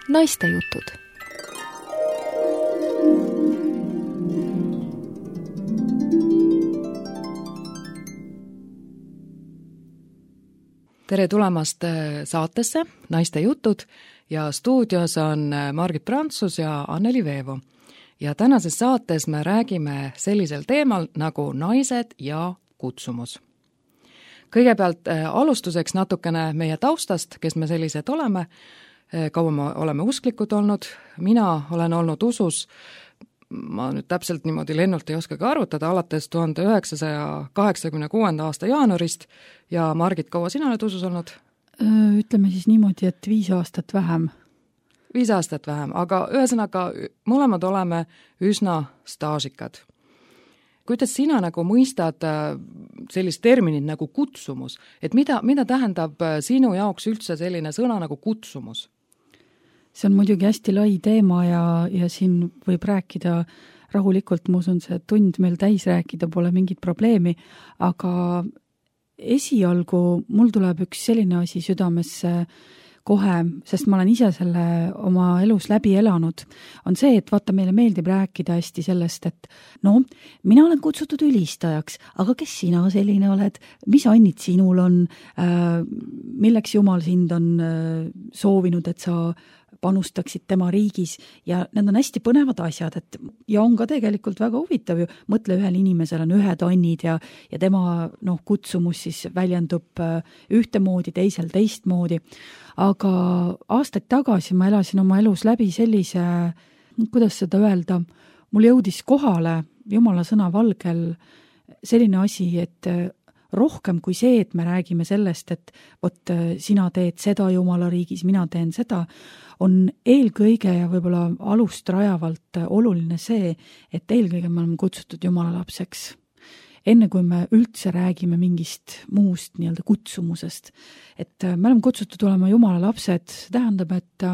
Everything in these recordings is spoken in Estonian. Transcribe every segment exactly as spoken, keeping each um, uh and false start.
naistejutud. Tere tulemast saatesse Naistejutud ja stuudios on Margit Prantsus ja Anneli Veevo. Ja tänases saates me räägime sellisel teemal nagu naised ja kutsumus. Kõigepealt alustuseks natukene meie taustast, kes me sellised oleme, kaua me oleme usklikud olnud. Mina olen olnud usus, ma nüüd täpselt niimoodi lennult ei oskagi arvutada, alates tuhande üheksasaja kaheksakümne kuuenda aasta jaanuarist ja Margit, kaua sina oled usus olnud? Ütleme siis niimoodi, et viis aastat vähem. Viis aastat vähem, aga ühesõnaga mõlemad oleme üsna staažikad. Kuidas sina nagu mõistad sellist terminit nagu kutsumus, et mida, mida tähendab sinu jaoks üldse selline sõna nagu kutsumus? See on muidugi hästi lai teema ja, ja siin võib rääkida rahulikult, ma usun, see tund meil täis rääkida pole mingit probleemi, aga esialgu mul tuleb üks selline asi südamesse kohe, sest ma olen ise selle oma elus läbi elanud, on see, et vaata, meile meeldib rääkida hästi sellest, et no, mina olen kutsutud ülistajaks, aga kes sina selline oled, mis annid sinul on, milleks Jumal sind on soovinud, et sa panustaksid tema riigis ja need on hästi põnevad asjad, et ja on ka tegelikult väga huvitav ju, mõtle, ühel inimesel on ühed annid ja, ja tema noh, kutsumus siis väljendub ühtemoodi, teisel teistmoodi, aga aastaid tagasi ma elasin oma elus läbi sellise, kuidas seda öelda, mul jõudis kohale Jumala sõna valgel selline asi, et rohkem kui see, et me räägime sellest, et vot sina teed seda Jumala riigis, mina teen seda, on eelkõige ja võib-olla alust rajavalt oluline see, et eelkõige me oleme kutsutud Jumala lapseks. Enne kui me üldse räägime mingist muust nii-öelda kutsumusest, et me oleme kutsutud olema Jumala lapsed, see tähendab, et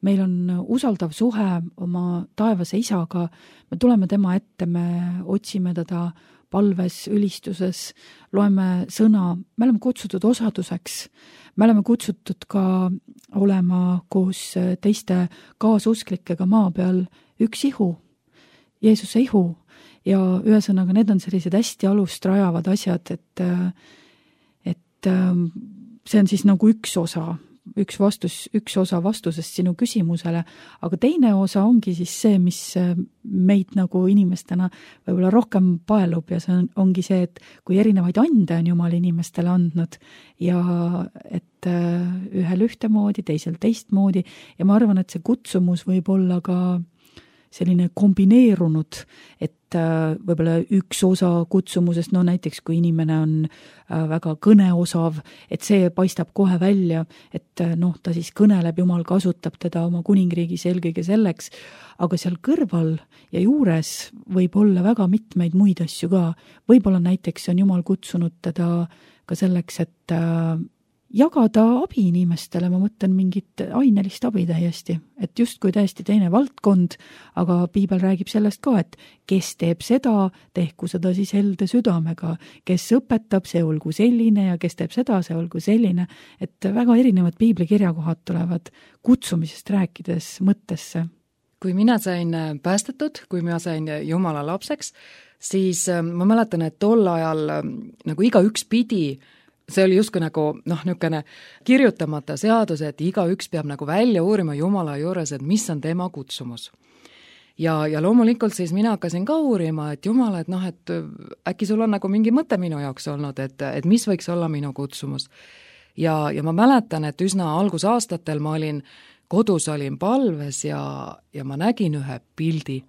meil on usaldav suhe oma taevase isaga, me tuleme tema ette, me otsime teda palves, ülistuses, loeme sõna, me oleme kutsutud osaduseks, me oleme kutsutud ka olema koos teiste kaasusklikega maa peal üks ihu, Jeesuse ihu ja ühesõnaga need on sellised hästi alust rajavad asjad, et, et see on siis nagu üks osa, üks vastus, üks osa vastusest sinu küsimusele, aga teine osa ongi siis see, mis meid nagu inimestena võib-olla rohkem paelub ja see on, ongi see, et kui erinevaid ande on Jumal inimestele andnud ja et ühel ühtemoodi, teisel teistmoodi ja ma arvan, et see kutsumus võib olla ka selline kombineerunud, et võib-olla üks osa kutsumusest, no näiteks kui inimene on väga kõneosav, et see paistab kohe välja, et noh, ta siis kõneleb, Jumal kasutab teda oma kuningriigis eelkõige selleks, aga seal kõrval ja juures võib olla väga mitmeid muid asju ka. Võib-olla näiteks on Jumal kutsunud teda ka selleks, et jagada abi inimestele, ma mõtlen mingit ainelist abi täiesti, et justkui täiesti teine valdkond, aga piibel räägib sellest ka, et kes teeb seda, tehku seda siis helde südamega, kes õpetab, see olgu selline ja kes teeb seda, see olgu selline, et väga erinevad piiblikirjakohad tulevad kutsumisest rääkides mõttesse. Kui mina sain päästetud, kui mina sain Jumala lapseks, siis ma mäletan, et tol ajal nagu iga üks pidi see oli justkui nagu, noh, niisugune kirjutamata seadus, et iga üks peab nagu välja uurima Jumala juures, et mis on tema kutsumus. Ja, ja loomulikult siis mina hakkasin ka uurima, et Jumal, et noh, et äkki sul on nagu mingi mõte minu jaoks olnud, et, et mis võiks olla minu kutsumus. Ja, ja ma mäletan, et üsna algusaastatel ma olin, kodus olin palves ja, ja ma nägin ühe pildi.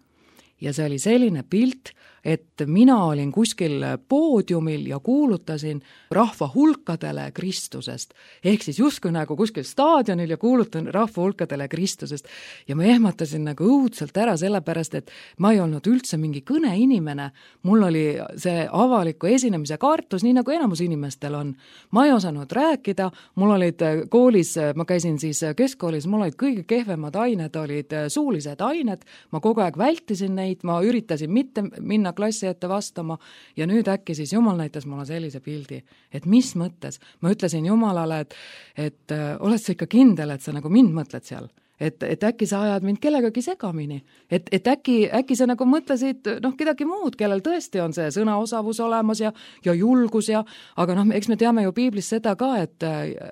Ja see oli selline pilt, et mina olin kuskil poodiumil ja kuulutasin rahva hulkadele Kristusest. Ehk siis justkui nagu kuskil staadionil ja kuulutan rahva hulkadele Kristusest. Ja ma ehmatasin nagu õudselt ära sellepärast, et ma ei olnud üldse mingi kõneinimene. Mul oli see avaliku esinemise kartus, nii nagu enamus inimestel on. Ma ei osanud rääkida, mul olid koolis, ma käisin siis keskkoolis, mul olid kõige kehvemad ained, olid suulised ained, ma kogu aeg vältisin neid, ma üritasin mitte minna klassi ette vastama ja nüüd äkki siis Jumal näitas mulle sellise pildi, et mis mõttes. Ma ütlesin Jumalale, et, et oled sa ikka kindel, et sa nagu mind mõtled seal, et, et äkki sa ajad mind kellegagi segamini, et, et äkki, äkki sa nagu mõtlesid noh, kedagi muud, kellel tõesti on see sõnaosavus olemas ja, ja julgus ja, aga noh, eks me teame ju piiblis seda ka, et,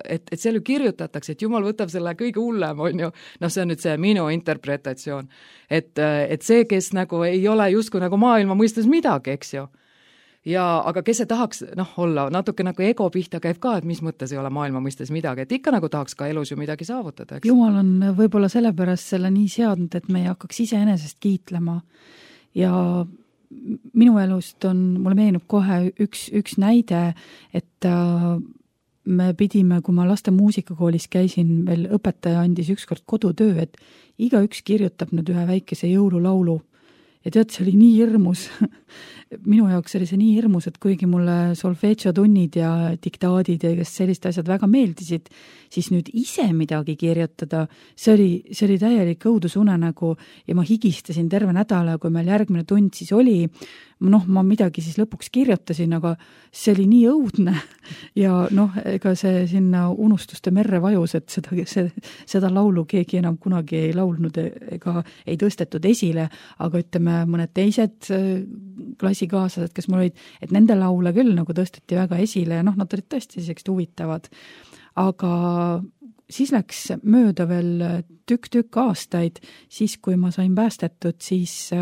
et, et seal ju kirjutatakse, et Jumal võtab selle kõige hullem, on ju, noh, see on nüüd see minu interpretatsioon, et, et see, kes nagu ei ole justkui nagu maailma mõistes midagi, eks ju. Ja aga kes see tahaks noh, olla, natuke nagu ego pihta käib ka, et mis mõttes ei ole maailma mõistes midagi, et ikka nagu tahaks ka elus ju midagi saavutada, eks? Jumal on võib-olla sellepärast selle nii seadnud, et me ei hakkaks iseenesest kiitlema ja minu elust on, mulle meenub kohe üks, üks näide, et me pidime, kui ma laste muusikakoolis käisin, veel õpetaja andis ükskord kodutöö, et igaüks kirjutab nüüd ühe väikese jõululaulu. Ja tead, see oli nii hirmus. Minu jaoks oli see nii hirmus, et kuigi mulle solfeggio tunnid ja diktaadid ja sellised asjad väga meeldisid, siis nüüd ise midagi kirjutada, see oli, see oli täielik õudusunenägu ja ma higistasin terve nädala, kui meil järgmine tund siis oli, noh, ma midagi siis lõpuks kirjutasin, aga see oli nii õudne ja noh, ega see sinna unustuste merre vajus, et seda, see, seda laulu keegi enam kunagi ei laulnud ega ei tõstetud esile, aga ütleme, mõned teised klassikaaslased, kes mul olid, et nende laule küll nagu tõsteti väga esile ja noh, nad olid tõesti sellised huvitavad. Aga siis läks mööda veel tükk-tükk aastaid, siis kui ma sain päästetud, siis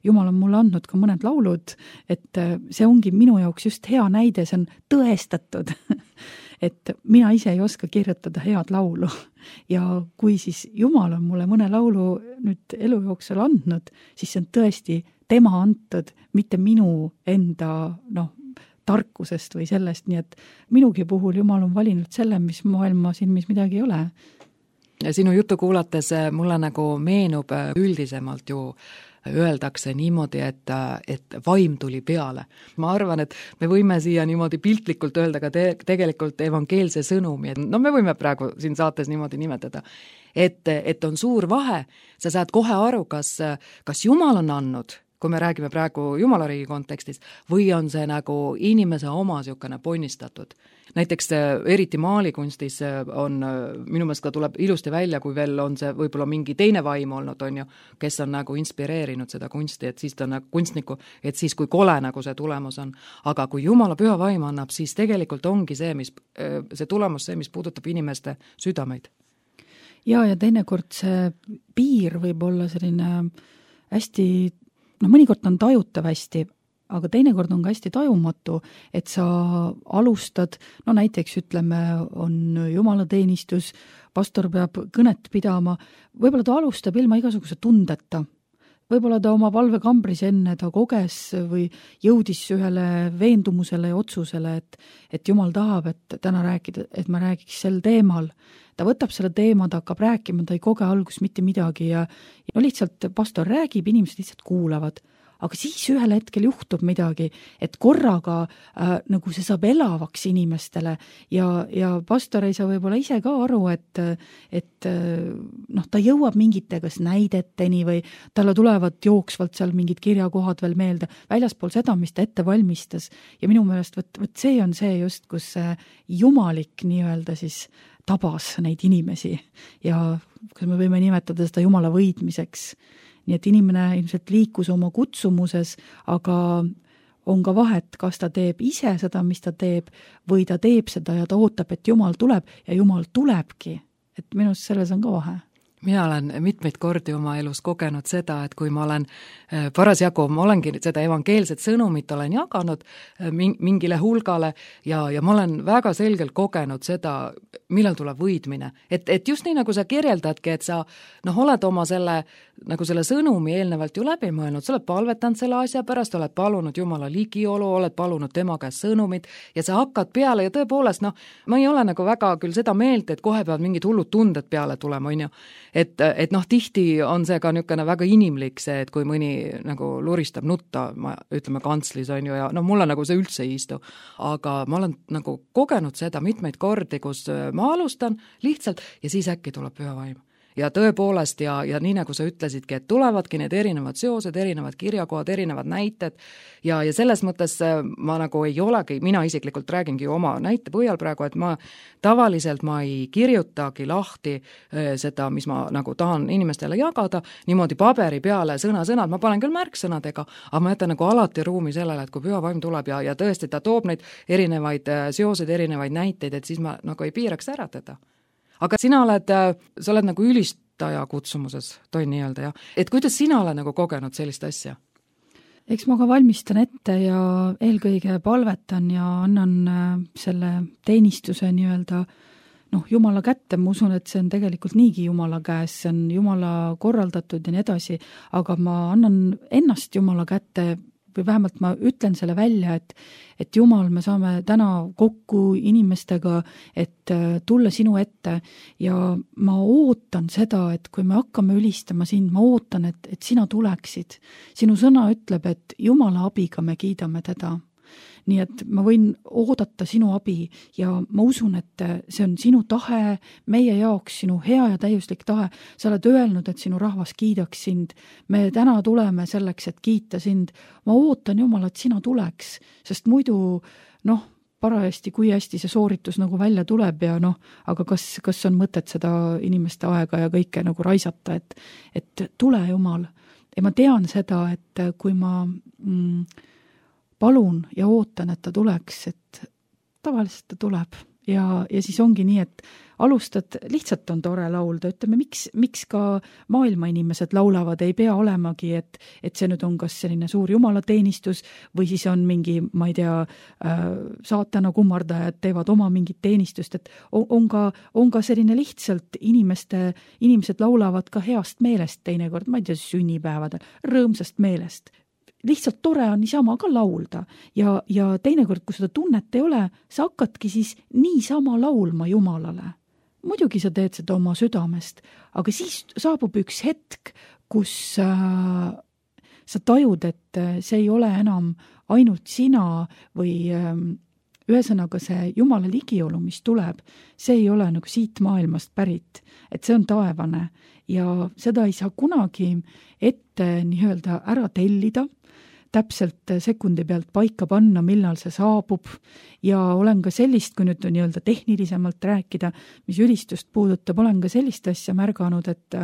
Jumal on mulle andnud ka mõned laulud, et see ongi minu jaoks just hea näide, see on tõestatud, et mina ise ei oska kirjutada head laulu ja kui siis Jumal on mulle mõne laulu nüüd elu jooksul andnud, siis see on tõesti tema antud, mitte minu enda noh, tarkusest või sellest, nii et minugi puhul Jumal on valinud selle, mis maailma silmis midagi ei ole. Sinu juttu kuulates mulle nagu meenub üldisemalt ju öeldakse niimoodi, et, et vaim tuli peale. Ma arvan, et me võime siia niimoodi piltlikult öelda ka te, tegelikult evangeelse sõnumi, et no me võime praegu siin saates niimoodi nimetada, et, et on suur vahe, sa saad kohe aru, kas, kas Jumal on andnud, kui me räägime praegu Jumalariigi kontekstis, või on see nagu inimese oma siukene ponnistatud. Näiteks eriti maalikunstis on, minu meelest ka tuleb ilusti välja, kui veel on see võib-olla mingi teine vaim olnud, on ju, kes on nagu inspireerinud seda kunsti, et siis ta on nagu kunstniku, et siis kui kole nagu see tulemus on. Aga kui Jumala püha vaim annab, siis tegelikult ongi see, mis, see tulemus see, mis puudutab inimeste südameid. Ja, ja teinekord see piir võib olla selline hästi noh, mõnikord on tajutav hästi, aga teinekord on ka hästi tajumatu, et sa alustad, no näiteks ütleme, on jumalateenistus, pastor peab kõnet pidama, võib-olla ta alustab ilma igasuguse tundeta, võib-olla ta oma valvekambris enne ta koges või jõudis ühele veendumusele ja otsusele, et, et Jumal tahab, et täna rääkida, et ma räägiks sel teemal. Ta võtab selle teema, ta hakkab rääkima, ta ei koge algus mitte midagi ja, ja no lihtsalt pastor räägib, inimesed lihtsalt kuulavad. Aga siis ühel hetkel juhtub midagi, et korraga äh, nagu see saab elavaks inimestele ja, ja pastor ei saa võib-olla ise ka aru, et, et noh, ta jõuab mingite kas näideteni või talle tulevad jooksvalt seal mingid kirjakohad veel meelde, väljaspool seda, mis ta ette valmistas. Ja minu meelest võt, võt see on see just, kus jumalik nii-öelda siis tabas neid inimesi ja kas me võime nimetada seda Jumala võidmiseks. Nii et inimene ilmselt liikus oma kutsumuses, aga on ka vahet, kas ta teeb ise seda, mis ta teeb, või ta teeb seda ja ta ootab, et Jumal tuleb ja Jumal tulebki. Et minust selles on ka vahe. Mina olen mitmeid kordi oma elus kogenud seda, et kui ma olen parasjagu, ma olengi seda evangeelset sõnumit olen jaganud mingile hulgale ja, ja ma olen väga selgelt kogenud seda, millal tuleb võidmine. Et, et just nii, nagu sa kirjeldadki, et sa noh, oled oma selle, nagu selle sõnumi eelnevalt ju läbi mõelnud, sa oled palvetanud selle asja pärast, oled palunud Jumala ligiolu, oled palunud tema käest sõnumit ja sa hakkad peale ja tõepoolest, noh, ma ei ole nagu väga küll seda meelt, et kohe peavad mingid hullud tunded peale tulema, on ju. Et, et noh, tihti on see ka niisugune väga inimlik see, et kui mõni nagu luristab nutta, ma ütleme kantslis on ju, ja no mulle nagu see üldse ei istu. Aga ma olen nagu kogenud seda mitmeid kordi, kus ma alustan lihtsalt ja siis äkki tuleb püha vaim. ja tõepoolest ja, ja nii nagu sa ütlesidki, et tulevadki need erinevad seosed, erinevad kirjakohad, erinevad näited ja, ja selles mõttes ma nagu ei olegi, mina isiklikult räägingi oma näite põhjal praegu, et ma tavaliselt ma ei kirjutagi lahti seda, mis ma nagu tahan inimestele jagada, niimoodi paberi peale sõna-sõnad, ma panen küll märksõnadega, aga ma jätan nagu alati ruumi sellele, et kui püha vaim tuleb ja, ja tõesti ta toob neid erinevaid seoseid, erinevaid näiteid, et siis ma nagu ei piiraks ära teda. Aga sina oled, sa oled nagu ülistaja kutsumuses, toin nii-öelda, jah. Et kuidas sina oled nagu kogenud sellist asja? Eks ma ka valmistan ette ja eelkõige palvetan ja annan selle teenistuse nii-öelda noh, Jumala kätte, ma usun, et see on tegelikult niigi Jumala käes, see on Jumala korraldatud ja nii edasi, aga ma annan ennast Jumala kätte või vähemalt ma ütlen selle välja, et, et Jumal, me saame täna kokku inimestega, et tulla sinu ette ja ma ootan seda, et kui me hakkame ülistama sind, ma ootan, et, et sina tuleksid. Sinu sõna ütleb, et Jumala abiga me kiidame teda. Nii et ma võin oodata sinu abi ja ma usun, et see on sinu tahe, meie jaoks sinu hea ja täiuslik tahe. Sa oled öelnud, et sinu rahvas kiidaks sind. Me täna tuleme selleks, et kiita sind. Ma ootan Jumal, et sina tuleks, sest muidu noh, parajasti, kui hästi see sooritus nagu välja tuleb ja noh, aga kas, kas on mõtet seda inimeste aega ja kõike nagu raisata, et, et tule Jumal. Ja ma tean seda, et kui ma mm, palun ja ootan, et ta tuleks, et tavaliselt ta tuleb ja, ja siis ongi nii, et alustad, lihtsalt on tore laulda, ütleme, miks, miks ka maailma inimesed laulavad, ei pea olemagi, et, et see nüüd on kas selline suur jumalateenistus või siis on mingi, ma ei tea, äh, saatana kummardajad teevad oma mingit teenistust, et on, on, ka, on ka selline lihtsalt inimeste, inimesed laulavad ka heast meelest teinekord, ma ei tea, sünnipäevadel, rõõmsast meelest. Lihtsalt tore on niisama ka laulda ja, ja teinekord, kui seda tunnet ei ole, sa hakkadki siis niisama laulma Jumalale. Muidugi sa teed seda oma südamest, aga siis saabub üks hetk, kus äh, sa tajud, et see ei ole enam ainult sina või äh, ühesõnaga see Jumala ligiolu, mis tuleb, see ei ole nagu siit maailmast pärit, et see on taevane ja seda ei saa kunagi ette nii-öelda ära tellida, täpselt sekundi pealt paika panna, millal see saabub ja olen ka sellist, kui nüüd nii-öelda tehnilisemalt rääkida, mis ülistust puudutab, olen ka sellist asja märganud, et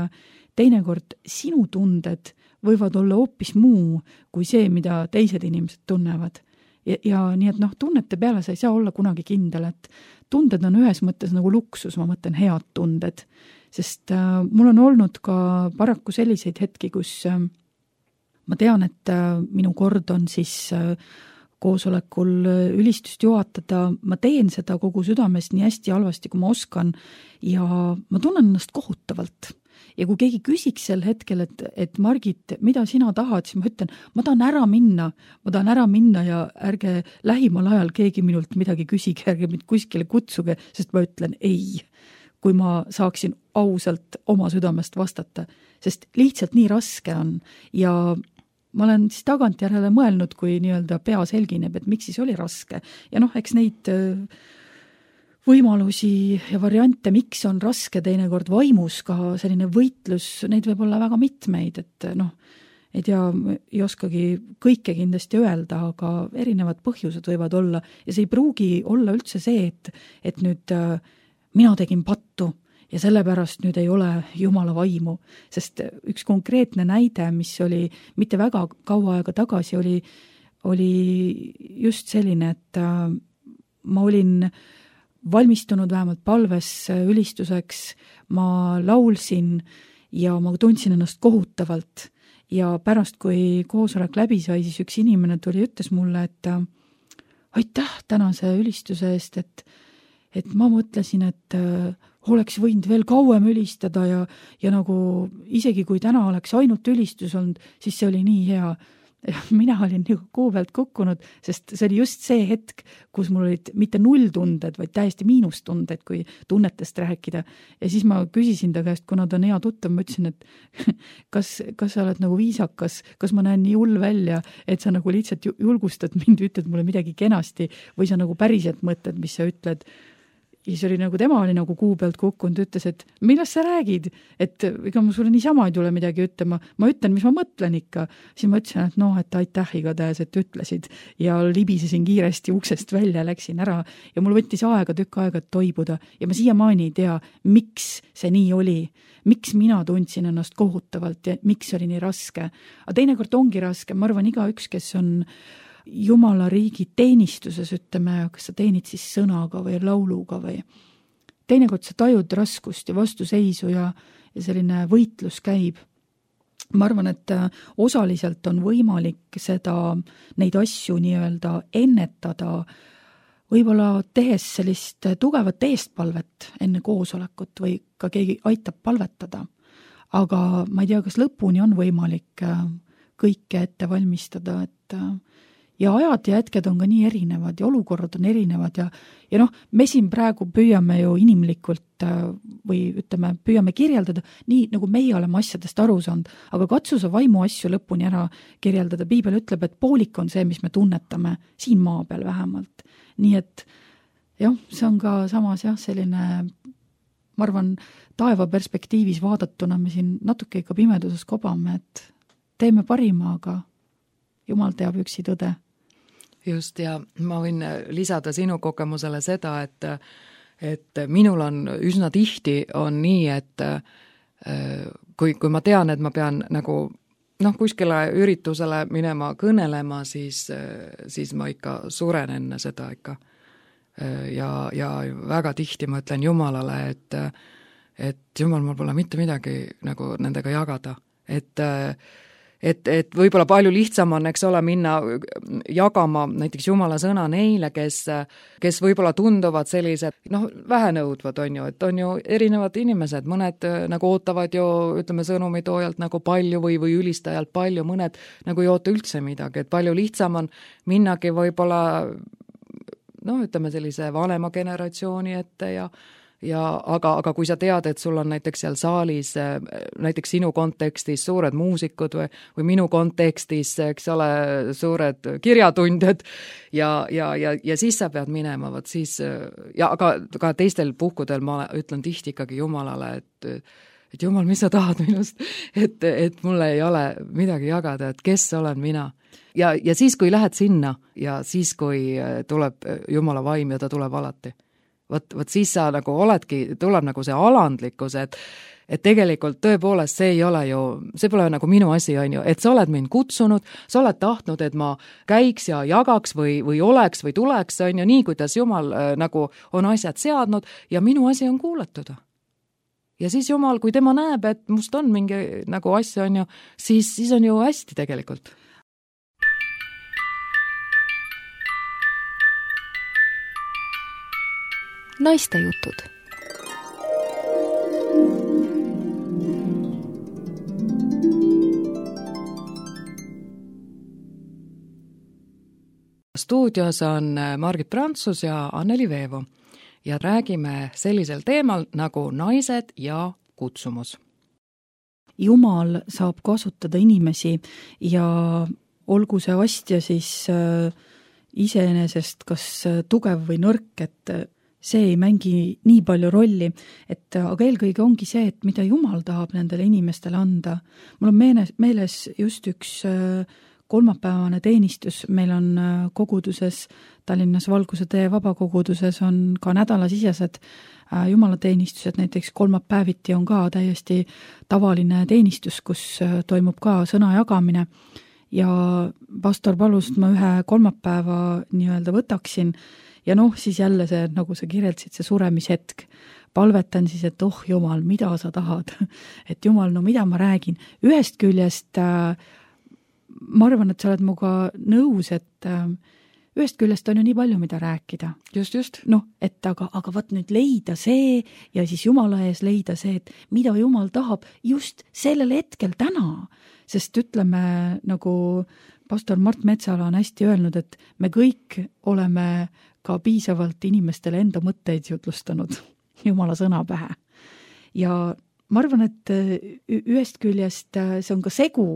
teinekord sinu tunded võivad olla hoopis muu kui see, mida teised inimesed tunnevad. Ja, ja nii et noh, tunnete peale sa ei saa olla kunagi kindel, et tunded on ühes mõttes nagu luksus, ma mõtlen head tunded, sest äh, mul on olnud ka paraku selliseid hetki, kus äh, ma tean, et minu kord on siis koosolekul ülistust juhatada, ma teen seda kogu südamest nii hästi halvasti, kui ma oskan ja ma tunnen ennast kohutavalt. Ja kui keegi küsiks sel hetkel, et, et Margit, mida sina tahad, siis ma ütlen, ma tahan ära minna, ma tahan ära minna ja ärge lähimal ajal keegi minult midagi küsige, ärge mind kuskile kutsuge, sest ma ütlen ei, kui ma saaksin ausalt oma südamest vastata, sest lihtsalt nii raske on ja ma olen siis tagantjärele mõelnud, kui nii-öelda pea selgineb, et miks siis oli raske. Ja noh, eks neid võimalusi ja variante, miks on raske teinekord vaimus ka selline võitlus, neid võib olla väga mitmeid, et noh, ei tea, ei oskagi kõike kindlasti öelda, aga erinevad põhjused võivad olla ja see ei pruugi olla üldse see, et, et nüüd mina tegin pattu ja sellepärast nüüd ei ole Jumala vaimu, sest üks konkreetne näide, mis oli mitte väga kaua aega tagasi, oli, oli just selline, et ma olin valmistunud vähemalt palves ülistuseks, ma laulsin ja ma tundsin ennast kohutavalt ja pärast, kui koosolek läbi sai, siis üks inimene tuli ja ütles mulle, et aitäh tänase ülistuse eest, et, et ma mõtlesin, et oleks võinud veel kauem ülistada ja, ja nagu isegi kui täna oleks ainult ülistus olnud, siis see oli nii hea. Mina olin nagu kuu pealt kukkunud, sest see oli just see hetk, kus mul olid mitte nulltunded, vaid täiesti miinustunded, kui tunnetest rääkida. Ja siis ma küsisin ta käest, kuna ta on hea tuttav, ma ütlesin, et kas, kas sa oled nagu viisakas, kas ma näen nii hull välja, et sa nagu lihtsalt julgustad mind, ütled mulle midagi kenasti või sa nagu päriselt mõtled, mis sa ütled. ja siis oli nagu, tema oli nagu kuu pealt kukkunud, ütles, et millest sa räägid, et ega ma sulle niisama ei tule midagi ütlema, ma ütlen, mis ma mõtlen ikka. Siis ma ütlesin, et noh, et aitäh igatahes, et ütlesid ja libisesin kiiresti uksest välja, läksin ära ja mul võttis aega, tükk aega, et toibuda ja ma siiamaani ei tea, miks see nii oli, miks mina tundsin ennast kohutavalt ja miks oli nii raske. Aga teinekord ongi raske, ma arvan, igaüks, kes on Jumala riigi teenistuses, ütleme, kas sa teenid siis sõnaga või lauluga või teinekord sa tajud raskust ja vastuseisu ja, ja selline võitlus käib. Ma arvan, et osaliselt on võimalik seda, neid asju nii-öelda ennetada, võib-olla tehes sellist tugevat eestpalvet enne koosolekut või ka keegi aitab palvetada. Aga ma ei tea, kas lõpuni on võimalik kõike ette valmistada, et ja ajad ja hetked on ka nii erinevad ja olukorrad on erinevad ja, ja noh, me siin praegu püüame ju inimlikult või ütleme, püüame kirjeldada nii, nagu meie oleme asjadest aru saanud, aga katsu sa vaimu asju lõpuni ära kirjeldada. Piibel ütleb, et poolik on see, mis me tunnetame siin maa peal vähemalt. Nii et jah, see on ka samas jah, selline, ma arvan, taeva perspektiivis vaadatuna me siin natuke ikka pimeduses kobame, et teeme parima, aga Jumal teab üksi tõde. Just, ja ma võin lisada sinu kogemusele seda, et, et minul on üsna tihti on nii, et kui, kui ma tean, et ma pean nagu noh, kuskile üritusele minema kõnelema, siis, siis ma ikka suren enne seda ikka. Ja, ja väga tihti ma ütlen Jumalale, et, et Jumal, mul pole mitte midagi nagu nendega jagada, et Et, et võib-olla palju lihtsam on, eks ole, minna jagama näiteks Jumala sõna neile, kes, kes võib-olla tunduvad sellised, noh, vähenõudvad on ju, et on ju erinevad inimesed, mõned nagu ootavad ju, ütleme, sõnumitoojalt nagu palju või, või ülistajalt palju, mõned nagu ei oota üldse midagi, et palju lihtsam on minnagi võib-olla, noh, ütleme sellise vanema generatsiooni ette ja ja aga, aga kui sa tead, et sul on näiteks seal saalis, näiteks sinu kontekstis suured muusikud või, või minu kontekstis, eks ole, suured kirjatundjad ja, ja, ja, ja siis sa pead minema, võt siis, ja aga ka teistel puhkudel ma ütlen tihti ikkagi Jumalale, et, et Jumal, mis sa tahad minust, et, et mulle ei ole midagi jagada, et kes olen mina. Ja, ja siis, kui lähed sinna ja siis, kui tuleb Jumala vaim ja ta tuleb alati. Võt, võt siis sa nagu oledki, tuleb nagu see alandlikkus, et, et tegelikult tõepoolest see ei ole ju, see pole nagu minu asi, on ju, et sa oled mind kutsunud, sa oled tahtnud, et ma käiks ja jagaks või, või oleks või tuleks, on ju, nii kuidas Jumal äh, nagu on asjad seadnud ja minu asi on kuulatada. Ja siis Jumal, kui tema näeb, et must on mingi nagu asja, on ju, siis, siis on ju hästi tegelikult. Naiste jutud. Stuudios on Margit Prantsus ja Anneli Veevo ja räägime sellisel teemal nagu naised ja kutsumus. Jumal saab kasutada inimesi ja olgu see astja siis äh, iseenesest kas tugev või nõrk, et see ei mängi nii palju rolli, et aga eelkõige ongi see, et mida Jumal tahab nendele inimestele anda. Mul on meeles, meeles just üks kolmapäevane teenistus, meil on koguduses, Tallinnas Valguse tee vabakoguduses on ka nädalasisesed jumalateenistused, näiteks kolmapäeviti on ka täiesti tavaline teenistus, kus toimub ka sõna jagamine ja pastor palus, ma ühe kolmapäeva nii-öelda võtaksin ja noh, siis jälle see, nagu sa kirjeldasid, see suremishetk. Palvetan siis, et oh Jumal, mida sa tahad? Et Jumal, no mida ma räägin? Ühest küljest äh, ma arvan, et sa oled muga nõus, et äh, ühest küljest on ju nii palju, mida rääkida. Just, just. Noh, et aga, aga võt nüüd leida see ja siis Jumala ees leida see, et mida Jumal tahab just sellel hetkel täna. Sest ütleme, nagu pastor Mart Metsala on hästi öelnud, et me kõik oleme ka piisavalt inimestele enda mõtteid jutlustanud Jumala sõna pähe. Ja ma arvan, et ühest küljest see on ka segu,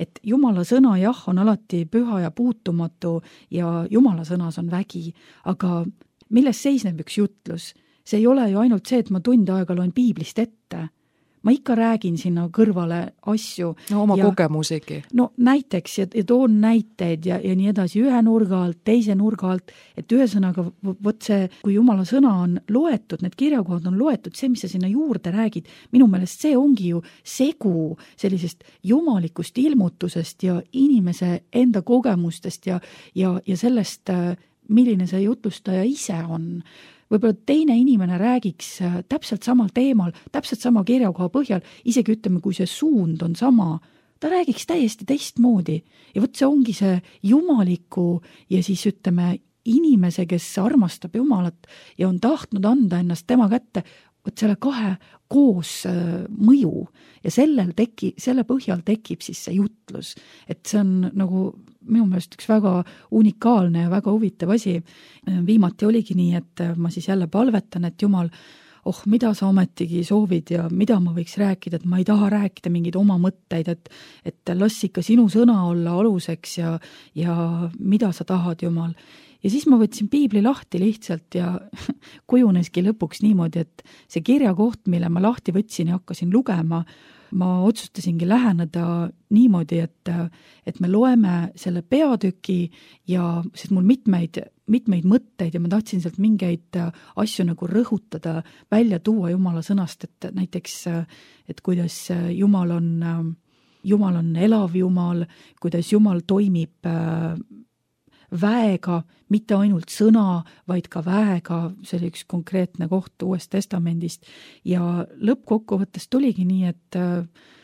et Jumala sõna jah, on alati püha ja puutumatu ja Jumala sõnas on vägi, aga milles seisneb üks jutlus? see ei ole ju ainult see, et ma tund aega loen piiblist ette. Ma ikka räägin sinna kõrvale asju. No oma ja, kogemusigi. No näiteks ja, ja toon näiteid ja, ja nii edasi ühe nurga alt, teise nurga alt, et ühesõnaga võt see, kui Jumala sõna on loetud, need kirjakohad on loetud, see, mis sa sinna juurde räägid, minu meelest see ongi ju segu sellisest jumalikust ilmutusest ja inimese enda kogemustest ja, ja, ja sellest, milline see jutlustaja ise on. Võib-olla teine inimene räägiks täpselt samal teemal, täpselt sama kirjakoha põhjal, isegi ütleme, kui see suund on sama, ta räägiks täiesti teistmoodi. Ja võt see ongi see jumaliku ja siis ütleme inimese, kes armastab Jumalat ja on tahtnud anda ennast tema kätte, võt selle kahe koos mõju ja sellel teki, selle põhjal tekib siis see jutlus. Et see on nagu minu meelest üks väga unikaalne ja väga huvitav asi. Viimati oligi nii, et ma siis jälle palvetan, et Jumal, oh, mida sa ometigi soovid ja mida ma võiks rääkida, et ma ei taha rääkida mingeid oma mõtteid, et, et las ikka sinu sõna olla aluseks ja, ja mida sa tahad, Jumal. Ja siis ma võtsin piibli lahti lihtsalt ja kujuneski lõpuks niimoodi, et see kirjakoht, mille ma lahti võtsin ja hakkasin lugema, ma otsustasingi läheneda niimoodi, et, et me loeme selle peatüki ja sest mul mitmeid, mitmeid mõtteid ja ma tahtsin sealt mingeid asju nagu rõhutada, välja tuua Jumala sõnast, et näiteks, et kuidas Jumal on, Jumal on elav Jumal, kuidas Jumal toimib väega, mitte ainult sõna, vaid ka väega, see oli üks konkreetne koht Uuest Testamendist ja lõppkokkuvõttes tuligi nii, et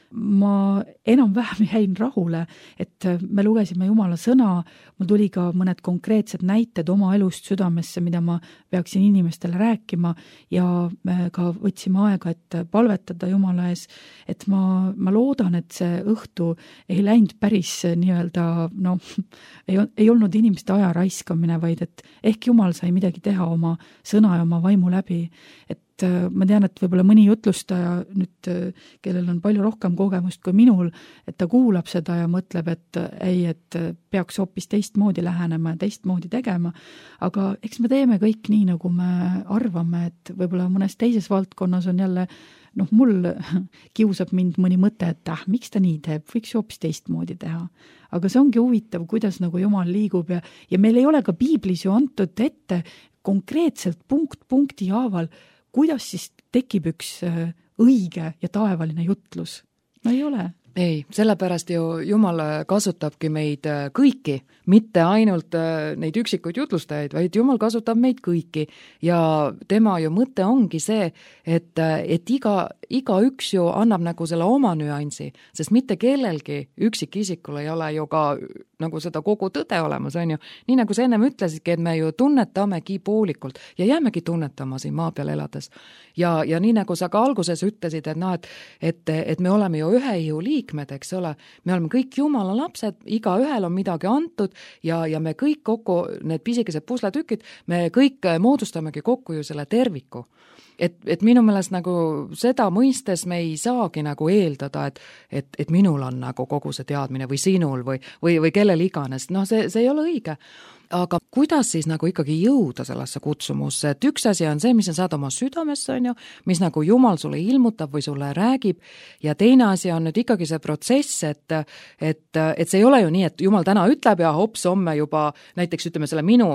ma enam-vähem jäin rahule, et me lugesime Jumala sõna, mul tuli ka mõned konkreetsed näited oma elust südamesse, mida ma peaksin inimestele rääkima ja me ka võtsime aega, et palvetada Jumala ees, et ma, ma loodan, et see õhtu ei läinud päris nii-öelda, no ei, ei olnud inimeste aja raiskamine, vaid et ehk Jumal sai midagi teha oma sõna ja oma vaimu läbi, et ma tean, et võib-olla mõni jutlustaja nüüd, kellel on palju rohkem kogemust kui minul, et ta kuulab seda ja mõtleb, et ei, et peaks hoopis teistmoodi lähenema ja teistmoodi tegema, aga eks me teeme kõik nii, nagu me arvame, et võib-olla mõnes teises valdkonnas on jälle, noh, mul kiusab mind mõni mõte, et ah, miks ta nii teeb, võiks hoopis teistmoodi teha. Aga see ongi huvitav, kuidas nagu Jumal liigub ja, ja meil ei ole ka piiblis ju antud ette konkreetselt punkt punkti haaval, kuidas siis tekib üks õige ja taevaline jutlus? No ei ole. Ei, sellepärast ju Jumal kasutabki meid kõiki, mitte ainult neid üksikuid jutlustajaid, vaid Jumal kasutab meid kõiki ja tema ju mõte ongi see, et, et iga, iga üks ju annab nagu selle oma nüansi, sest mitte kellelgi üksikisikul ei ole ju ka nagu seda kogu tõde olemas, on ju. Nii nagu sa ennem ütlesidki, et me ju tunnetamegi poolikult ja jäämegi tunnetama siin maa peal elades. Ja, ja nii nagu sa ka alguses ütlesid, et, no, et, et, et me oleme ju ühe ihu liikmed, eks ole, me oleme kõik Jumala lapsed, iga ühel on midagi antud ja, ja me kõik kokku, need pisikesed pusletükid, me kõik moodustamegi kokku ju selle terviku. Et, et minu meelest nagu seda mõistes me ei saagi nagu eeldada, et, et, et minul on nagu kogu see teadmine või sinul või, või, või kellel iganes, noh see, see ei ole õige. Aga kuidas siis nagu ikkagi jõuda sellesse kutsumusse, et üks asi on see, mis sa saad oma südamesse, on ju, mis nagu Jumal sulle ilmutab või sulle räägib ja teine asi on nüüd ikkagi see protsess, et, et, et see ei ole ju nii, et Jumal täna ütleb ja hops, homme juba näiteks ütleme selle minu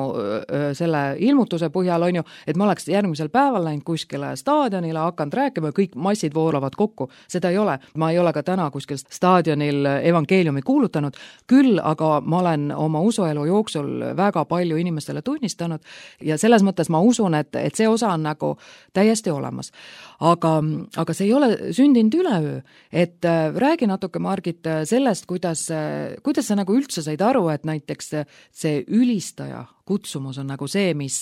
selle ilmutuse põhjal, on ju, et ma oleks järgmisel päeval läinud kuskile staadionile, hakanud rääkima ja kõik massid voolavad kokku, seda ei ole. Ma ei ole ka täna kuskil staadionil evangeeliumi kuulutanud, küll aga ma olen oma usuelu jooksul väga palju inimestele tunnistanud ja selles mõttes ma usun, et, et see osa on nagu täiesti olemas. Aga, aga see ei ole sündinud üleöö, et äh, räägi natuke, Margit, sellest, kuidas, kuidas sa nagu üldse said aru, et näiteks see ülistaja kutsumus on nagu see, mis,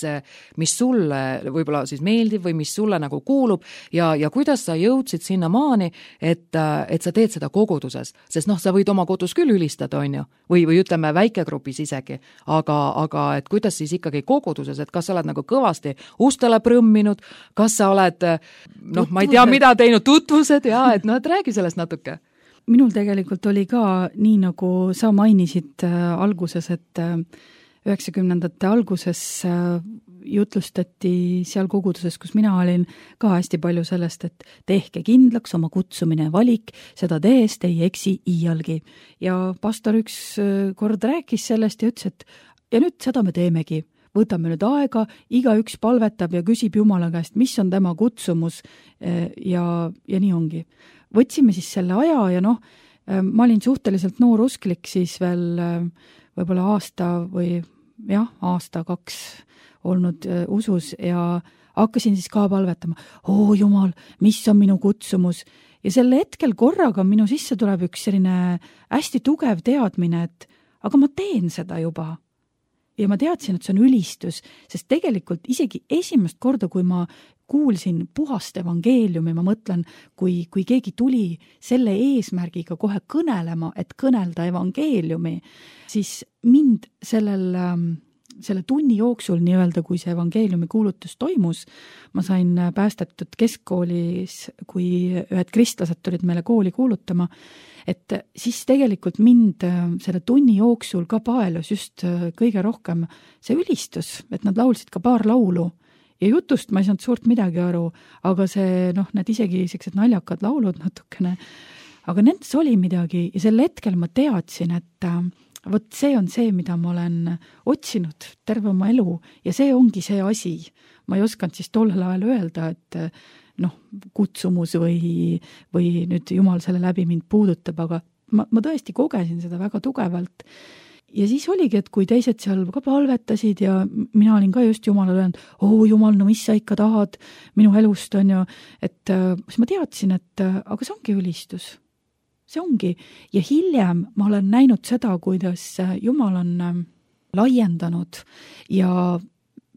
mis sulle võib-olla siis meeldib või mis sulle nagu kuulub ja, ja kuidas sa jõudsid sinna maani, et, et sa teed seda koguduses, sest noh, sa võid oma kodus küll ülistada, on ju, või, või ütleme väikegrupis isegi, aga, aga et kuidas siis ikkagi koguduses, et kas sa oled nagu kõvasti ustele prõmminud, kas sa oled, noh, ma ei tea, mida teinud, tutvused ja et noh, et räägi sellest natuke. Minul tegelikult oli ka nii, nagu sa mainisid äh, alguses, et äh, üheksakümnendate alguses jutlustati seal koguduses, kus mina olin, ka hästi palju sellest, et tehke kindlaks oma kutsumine ja valik, seda tehes te ei eksi iialgi. Ja pastor üks kord rääkis sellest ja ütles, et ja nüüd seda me teemegi. Võtame nüüd aega, igaüks palvetab ja küsib Jumala käest, mis on tema kutsumus ja, ja nii ongi. Võtsime siis selle aja ja noh, ma olin suhteliselt noor usklik siis veel võib-olla aasta või jah, aasta kaks olnud usus ja hakkasin siis ka palvetama, oo Jumal, mis on minu kutsumus. Ja selle hetkel korraga minu sisse tuleb üks selline hästi tugev teadmine, et aga ma teen seda juba. Ja ma teadsin, et see on ülistus, sest tegelikult isegi esimest korda, kui ma kuulsin puhast evangeeliumi, ma mõtlen, kui, kui keegi tuli selle eesmärgiga kohe kõnelema, et kõnelda evangeeliumi, siis mind sellel, selle tunni jooksul nii-öelda, kui see evangeeliumi kuulutus toimus, ma sain päästetud keskkoolis, kui ühed kristlased tulid meile kooli kuulutama, et siis tegelikult mind selle tunni jooksul ka paelus just kõige rohkem see ülistus, et nad laulsid ka paar laulu ja jutust ma ei saanud suurt midagi aru, aga see, noh, need isegi sellised naljakad laulud natukene, aga nendes oli midagi ja sel hetkel ma teadsin, et vot see on see, mida ma olen otsinud terve oma elu ja see ongi see asi. Ma ei oskanud siis tollel ajal öelda, et noh, kutsumus või, või nüüd Jumal selle läbi mind puudutab, aga ma, ma tõesti kogesin seda väga tugevalt. Ja siis oligi, et kui teised seal ka palvetasid ja mina olin ka just Jumalale öelnud, oo Jumal, no mis sa ikka tahad minu elust on ju, et siis ma teadsin, et aga see ongi ülistus. See ongi. Ja hiljem ma olen näinud seda, kuidas Jumal on laiendanud ja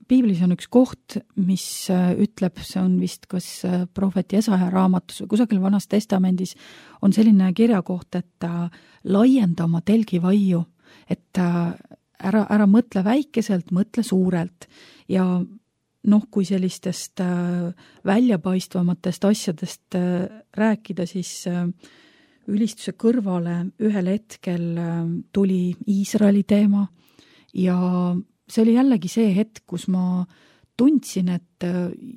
Piiblis on üks koht, mis ütleb, see on vist kas prohvet Jesaja raamatus või kusagil Vanas testamendis on selline kirjakoht, et laienda oma telgivaiu, et ära, ära mõtle väikeselt, mõtle suurelt ja noh, kui sellistest väljapaistvamatest asjadest rääkida, siis ülistuse kõrvale ühel hetkel tuli Iisraeli teema ja see oli jällegi see hetk, kus ma tundsin, et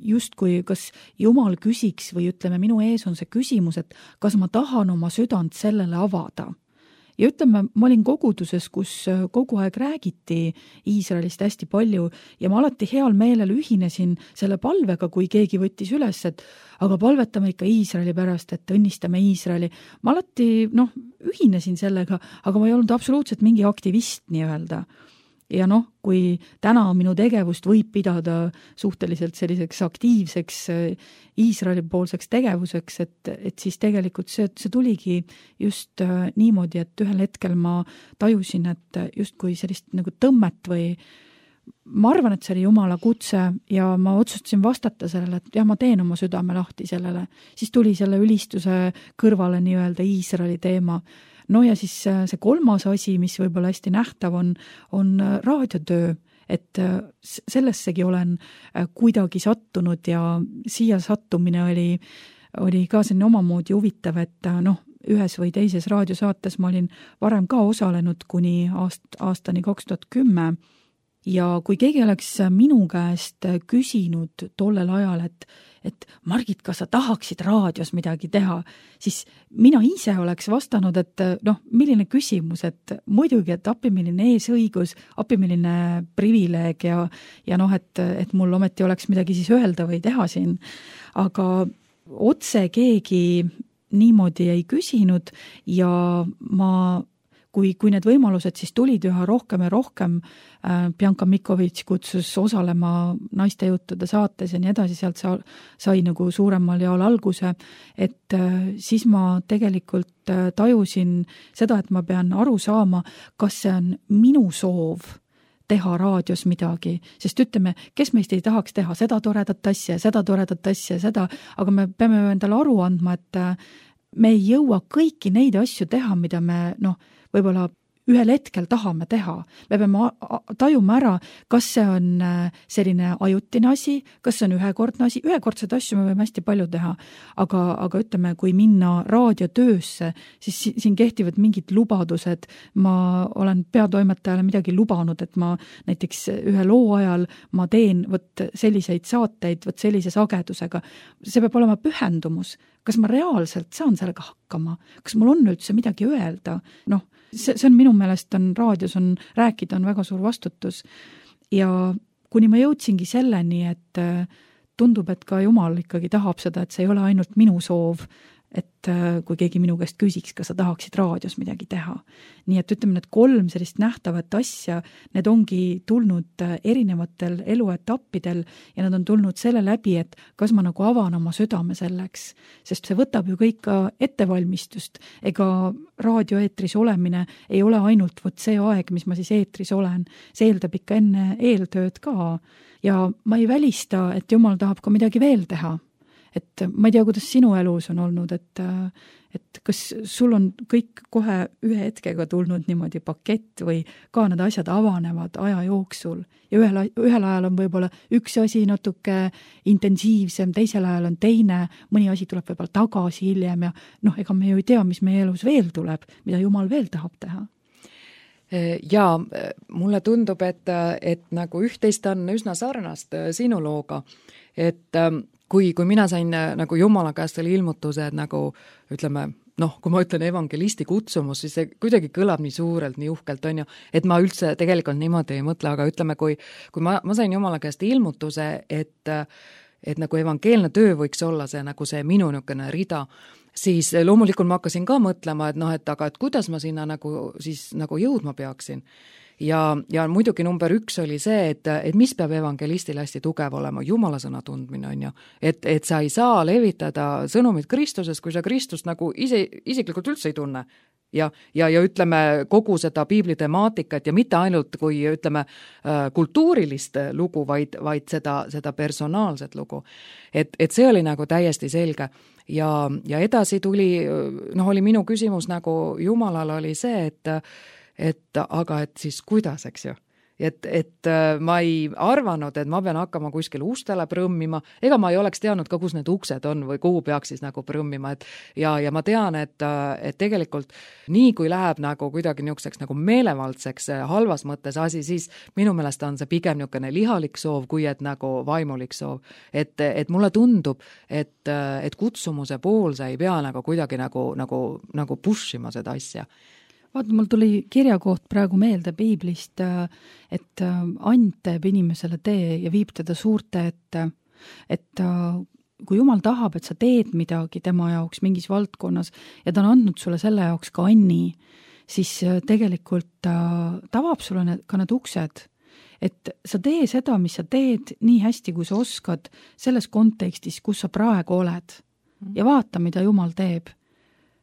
justkui kas Jumal küsiks või ütleme, minu ees on see küsimus, et kas ma tahan oma südant sellele avada. Ja ütleme, ma olin koguduses, kus kogu aeg räägiti Iisraelist hästi palju ja ma alati heal meelel ühinesin selle palvega, kui keegi võttis üles, et aga palvetame ikka Iisraeli pärast, et õnnistame Iisraeli. Ma alati noh, ühinesin sellega, aga ma ei olnud absoluutselt mingi aktivist nii-öelda. Ja noh, kui täna minu tegevust võib pidada suhteliselt selliseks aktiivseks Iisraeli poolseks tegevuseks, et, et siis tegelikult see, see tuligi just niimoodi, et ühel hetkel ma tajusin, et just kui sellist nagu tõmmet või ma arvan, et see oli Jumala kutse ja ma otsustasin vastata sellele, et jah, ma teen oma südame lahti sellele. Siis tuli selle ülistuse kõrvale nii-öelda Iisraeli teema. No ja siis see kolmas asi, mis võib-olla hästi nähtav on, on raadiotöö, et sellessegi olen kuidagi sattunud ja siia sattumine oli, oli ka selline omamoodi huvitav, et noh, ühes või teises raadiosaates ma olin varem ka osalenud kuni aast, aastani kaks tuhat kümme ja kui keegi oleks minu käest küsinud tollel ajal, et et Margit, kas sa tahaksid raadios midagi teha, siis mina ise oleks vastanud, et noh, milline küsimus, et muidugi, et appi milline eesõigus, appi milline privileeg ja, ja noh, et, et mul ometi oleks midagi siis öelda või teha siin. Aga otse keegi niimoodi ei küsinud ja ma Kui, kui need võimalused siis tulid üha rohkem ja rohkem, äh, Bianca Mikovitš kutsus osalema naiste juttude saates ja nii edasi, sealt sa, sai nagu suuremal jaol alguse, et äh, siis ma tegelikult äh, tajusin seda, et ma pean aru saama, kas see on minu soov teha raadios midagi, sest ütleme, kes meist ei tahaks teha seda toredat asja, seda toredat asja, seda, aga me peame endale aru andma, et äh, me ei jõua kõiki neid asju teha, mida me noh, võib-olla ühel hetkel tahame teha. Me peame tajuma ära, kas see on selline ajutine asi, kas see on ühekordne asi, ühekordseid asju me võime hästi palju teha, aga, aga ütleme, kui minna raadiotöösse, siis siin kehtivad mingid lubadused. Ma olen peatoimetajale midagi lubanud, et ma näiteks ühe loo ajal ma teen võt selliseid saateid, võt sellise sagedusega. See peab olema pühendumus. Kas ma reaalselt saan sellega hakkama? Kas mul on üldse midagi öelda? Noh, see, see on minu meelest on raadios on rääkida on väga suur vastutus. Ja kuni ma jõudsingi selleni, et tundub, et ka Jumal ikkagi tahab seda, et see ei ole ainult minu soov, et kui keegi minu käest küsiks, kas sa tahaksid raadios midagi teha. Nii et ütleme, need kolm sellist nähtavat asja, need ongi tulnud erinevatel eluetappidel ja nad on tulnud selle läbi, et kas ma nagu avan oma südame selleks, sest see võtab ju kõik ka ettevalmistust. Ega raadioeetris olemine ei ole ainult võt see aeg, mis ma siis eetris olen. See eeldab ikka enne eeltööd ka ja ma ei välista, et Jumal tahab ka midagi veel teha. Et ma ei tea, kuidas sinu elus on olnud, et, et kas sul on kõik kohe ühe hetkega tulnud niimoodi pakett või ka need asjad avanevad aja jooksul ja ühel, ühel ajal on võib-olla üks asi natuke intensiivsem, teisel ajal on teine, mõni asi tuleb võib-olla tagasi hiljem ja noh, ega me ju ei tea, mis meie elus veel tuleb, mida Jumal veel tahab teha. Ja mulle tundub, et, et nagu üht-teist on üsna sarnast sinu looga, et kui, kui mina sain nagu Jumala käest oli ilmutuse, et nagu ütleme, noh, kui ma ütlen evangelisti kutsumus, siis see kuidagi kõlab nii suurelt, nii uhkelt on ju, et ma üldse tegelikult niimoodi ei mõtle, aga ütleme, kui, kui ma, ma sain Jumala käest ilmutuse, et, et nagu evangeelne töö võiks olla see nagu see minu niisugune rida, siis loomulikult ma hakkasin ka mõtlema, et noh, et aga et kuidas ma sinna nagu siis nagu jõudma peaksin. Ja, ja muidugi number üks oli see, et, et mis peab evangelistil hästi tugev olema, Jumala sõna tundmine on ju, et, et sa ei saa levitada sõnumit Kristusest, kui sa Kristust nagu ise, isiklikult üldse ei tunne. Ja, ja, ja ütleme kogu seda piibli temaatikat ja mitte ainult kui ütleme kultuurilist lugu, vaid, vaid seda, seda personaalset lugu. Et, et see oli nagu täiesti selge. Ja, ja edasi tuli, noh oli minu küsimus nagu Jumalal oli see, et et aga et siis kuidas, eks ju. Et, et ma ei arvanud, et ma pean hakkama kuskil ustele prõmmima, ega ma ei oleks teadnud ka, kus need uksed on või kuhu peaks siis nagu prõmmima, et ja, ja ma tean, et, et tegelikult nii kui läheb nagu kuidagi niisuguseks nagu meelevaldseks halvas mõttes asi, siis minu meelest on see pigem niisugune lihalik soov, kui et nagu vaimulik soov. Et, et mulle tundub, et, et kutsumuse pool sa ei pea nagu kuidagi nagu, nagu, nagu pushima seda asja. Vaata, mul tuli kirjakoht praegu meelde piiblist, et and teeb inimesele tee ja viib teda suurte ette, et kui Jumal tahab, et sa teed midagi tema jaoks mingis valdkonnas ja ta on andnud sulle selle jaoks ka anni, siis tegelikult ta avab sulle need, ka need uksed, et sa tee seda, mis sa teed nii hästi, kui sa oskad selles kontekstis, kus sa praegu oled ja vaata, mida Jumal teeb.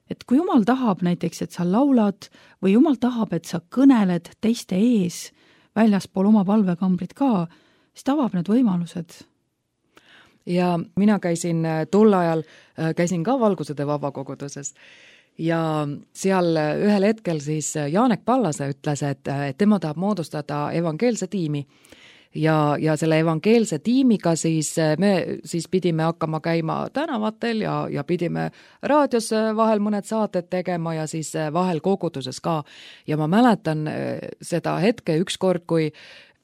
Et kui Jumal tahab näiteks, et sa laulad või Jumal tahab, et sa kõneled teiste ees väljaspool oma palvekambrid ka, siis ta avab need võimalused. Ja mina käisin tol ajal, käisin ka Valgusede vabakoguduses ja seal ühel hetkel siis Jaanek Pallase ütles, et, et tema tahab moodustada evangeelse tiimi. Ja, ja selle evangeelse tiimiga siis me siis pidime hakkama käima tänavatel ja, ja pidime raadios vahel mõned saated tegema ja siis vahel koguduses ka. Ja ma mäletan seda hetke ükskord, kui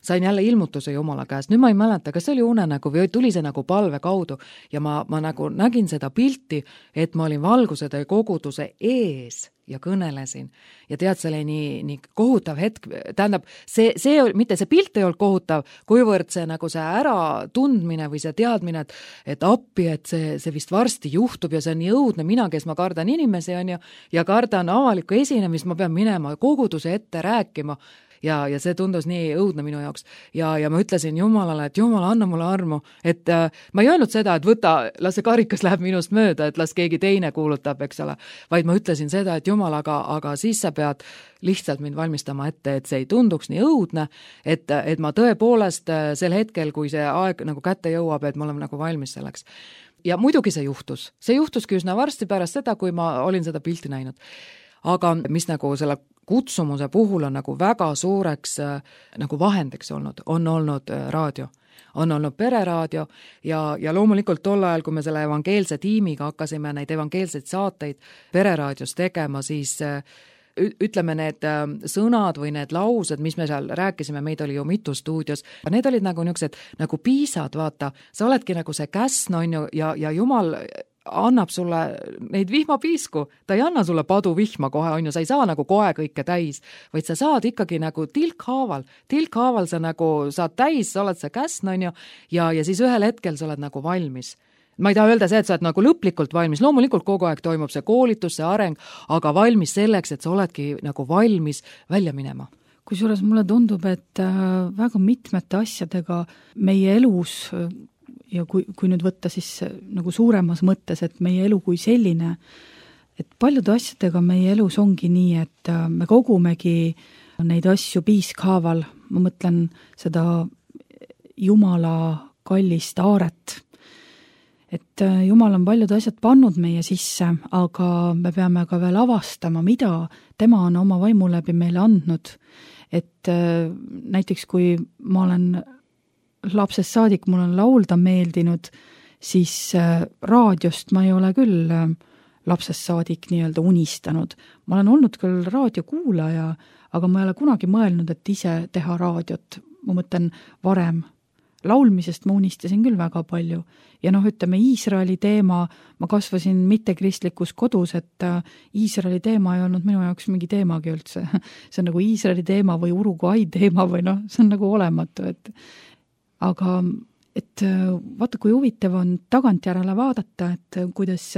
sain jälle ilmutuse Jumala käest. Nüüd ma ei mäleta, kas see oli unenägu või tuli see nagu palve kaudu ja ma, ma nagu nägin seda pilti, et ma olin Valgusede koguduse ees ja kõnelesin. Ja tead, see oli nii, nii kohutav hetk, tähendab, see, see, mitte see pilt ei olnud kohutav, kuivõrd see nagu see ära tundmine või see teadmine, et, et appi, et see, see vist varsti juhtub ja see on nii õudne, mina, kes ma kardan inimesi on ja, ja kardan avalikku esinemist, ma pean minema koguduse ette rääkima. Ja, ja see tundus nii õudne minu jaoks. Ja, ja ma ütlesin Jumalale, et Jumal, anna mulle armu. Et äh, ma ei öelnud seda, et võta, las see karikas läheb minust mööda, et las keegi teine kuulutab, eks ole. Vaid ma ütlesin seda, et Jumal, aga, aga siis sa pead lihtsalt mind valmistama ette, et see ei tunduks nii õudne, et, et ma tõepoolest sel hetkel, kui see aeg nagu kätte jõuab, et ma olen nagu valmis selleks. Ja muidugi see juhtus. See juhtuski üsna varsti pärast seda, kui ma olin seda pilti näinud. aga mis nagu selle kutsumuse puhul on nagu väga suureks nagu vahendiks olnud, on olnud raadio. On olnud pereraadio ja, ja loomulikult tol ajal, kui me selle evangeelse tiimiga hakkasime neid evangeelseid saateid pereraadios tegema, siis ütleme need sõnad või need laused, mis me seal rääkisime, meid oli ju mitu stuudios, need olid nagu niisugused nagu piisad, vaata, sa oledki nagu see käsn, on ju, ja, ja Jumal annab sulle neid vihmapiisku, ta ei anna sulle padu vihma kohe, on ju, sa ei saa nagu kohe kõike täis, vaid sa saad ikkagi nagu tilkhaaval, tilkhaaval sa nagu saad täis, sa oled see käsn, on ju, ja, ja siis ühel hetkel sa oled nagu valmis. Ma ei taha öelda see, et sa oled nagu lõplikult valmis, loomulikult kogu aeg toimub see koolitus, see areng, aga valmis selleks, et sa oledki nagu valmis välja minema. Kusjuures mulle tundub, et väga mitmete asjadega meie elus ja kui, kui nüüd võtta siis nagu suuremas mõttes, et meie elu kui selline, et paljude asjadega meie elus ongi nii, et me kogumegi neid asju piiskhaaval, ma mõtlen seda Jumala kallist aaret, et Jumal on paljud asjad pannud meie sisse, aga me peame ka veel avastama, mida tema on oma vaimu läbi meile andnud, et näiteks kui ma olen lapsest saadik, mul on laulda meeldinud, siis raadiost ma ei ole küll lapsest saadik nii-öelda unistanud. Ma olen olnud küll raadiokuulaja, aga ma ei ole kunagi mõelnud, et ise teha raadiot. Ma mõtlen varem. Laulmisest ma unistasin küll väga palju. Ja noh, ütleme, Iisraeli teema, ma kasvasin mittekristlikus kodus, et Iisraeli teema ei olnud minu jaoks mingi teemagi üldse. See on nagu Iisraeli teema või Uruguay teema või noh, see on nagu olematu, et aga et vaata, kui huvitav on tagantjärele vaadata, et kuidas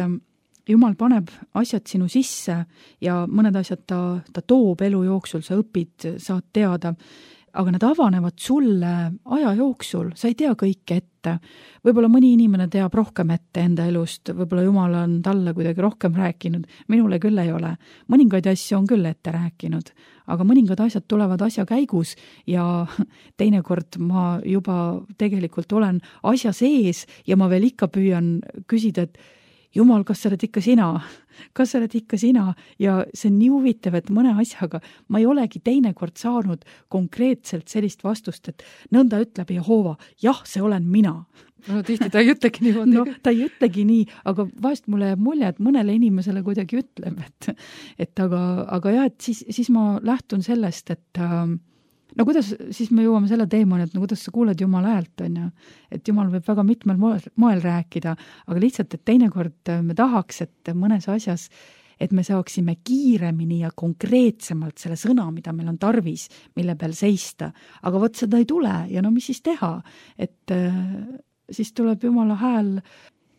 Jumal paneb asjad sinu sisse ja mõned asjad ta, ta toob elu jooksul, sa õpid, saad teada, aga need avanevad sulle aja jooksul, sa ei tea kõike ette. Võib-olla mõni inimene teab rohkem ette enda elust, võib-olla Jumal on talle kuidagi rohkem rääkinud, minule küll ei ole. Mõningaid asju on küll ette rääkinud, aga mõningad asjad tulevad asja käigus ja teinekord ma juba tegelikult olen asja sees ja ma veel ikka püüan küsida, et Jumal, kas sa oled ikka sina? Kas sa oled ikka sina? Ja see on nii huvitav, et mõne asjaga ma ei olegi teinekord saanud konkreetselt sellist vastust, et nõnda ütleb Jehova, jah, see olen mina. No tihti ta ei ütlegi niimoodi. No ta ei ütlegi nii, aga vahest mulle jääb mulje, et mõnele inimesele kuidagi ütleb, et, et aga, aga jah, et siis, siis ma lähtun sellest, et no kuidas, siis me jõuame selle teemani, et no kuidas sa kuuled Jumala häält, on ju, et Jumal võib väga mitmel moel, moel rääkida, aga lihtsalt, et teinekord me tahaks, et mõnes asjas, et me saaksime kiiremini ja konkreetsemalt selle sõna, mida meil on tarvis, mille peal seista, aga võt seda ei tule ja no mis siis teha, et siis tuleb Jumala hääl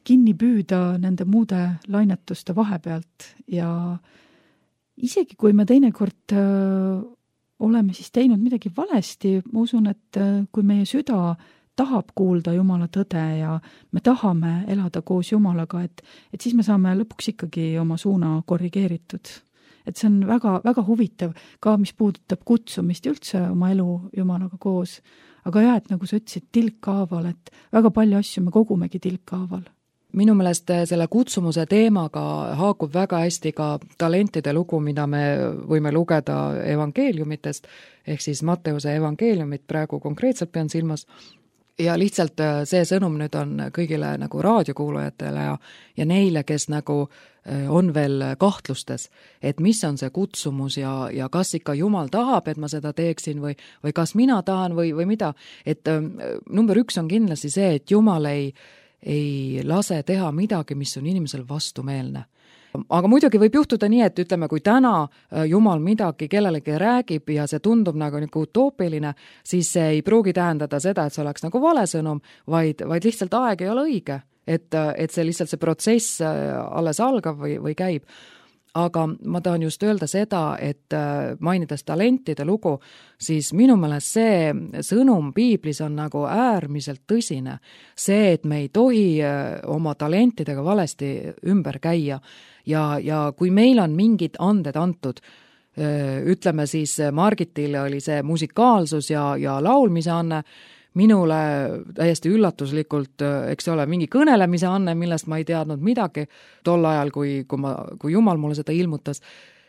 kinni püüda nende muude lainetuste vahepealt ja isegi kui me teinekord oleme siis teinud midagi valesti, ma usun, et kui meie süda tahab kuulda Jumala tõde ja me tahame elada koos Jumalaga, et, et siis me saame lõpuks ikkagi oma suuna korrigeeritud. Et see on väga, väga huvitav, ka mis puudutab kutsumist üldse oma elu Jumalaga koos. Aga jah, et nagu sa ütlesid, tilkhaaval, et väga palju asju me kogumegi tilkhaaval. Minu meelest selle kutsumuse teemaga haakub väga hästi ka talentide lugu, mida me võime lugeda evangeeliumitest, ehk siis Matteuse evangeeliumit praegu konkreetselt pean silmas. Ja lihtsalt see sõnum nüüd on kõigile nagu raadiokuulajatele ja, ja neile, kes nagu on veel kahtlustes, et mis on see kutsumus ja, ja kas ikka Jumal tahab, et ma seda teeksin või, või kas mina tahan või, või mida. Et number üks on kindlasti see, et Jumal ei ei lase teha midagi, mis on inimesel vastumeelne. Aga muidugi võib juhtuda nii, et ütleme, kui täna Jumal midagi kellelegi räägib ja see tundub nagu nagu utoopiline, siis see ei pruugi tähendada seda, et see oleks nagu vale sõnum, vaid, vaid lihtsalt aeg ei ole õige, et, et see lihtsalt see protsess alles algab või, või käib. Aga ma tahan just öelda seda, et mainides talentide lugu, siis minu meelest see sõnum piiblis on nagu äärmiselt tõsine. See, et me ei tohi oma talentidega valesti ümber käia ja, ja kui meil on mingid anded antud, ütleme siis Margitil oli see musikaalsus ja, ja laulmise anne, minule täiesti üllatuslikult, eks ole, mingi kõnelemise anne, millest ma ei teadnud midagi tol ajal, kui, kui, ma, kui Jumal mulle seda ilmutas.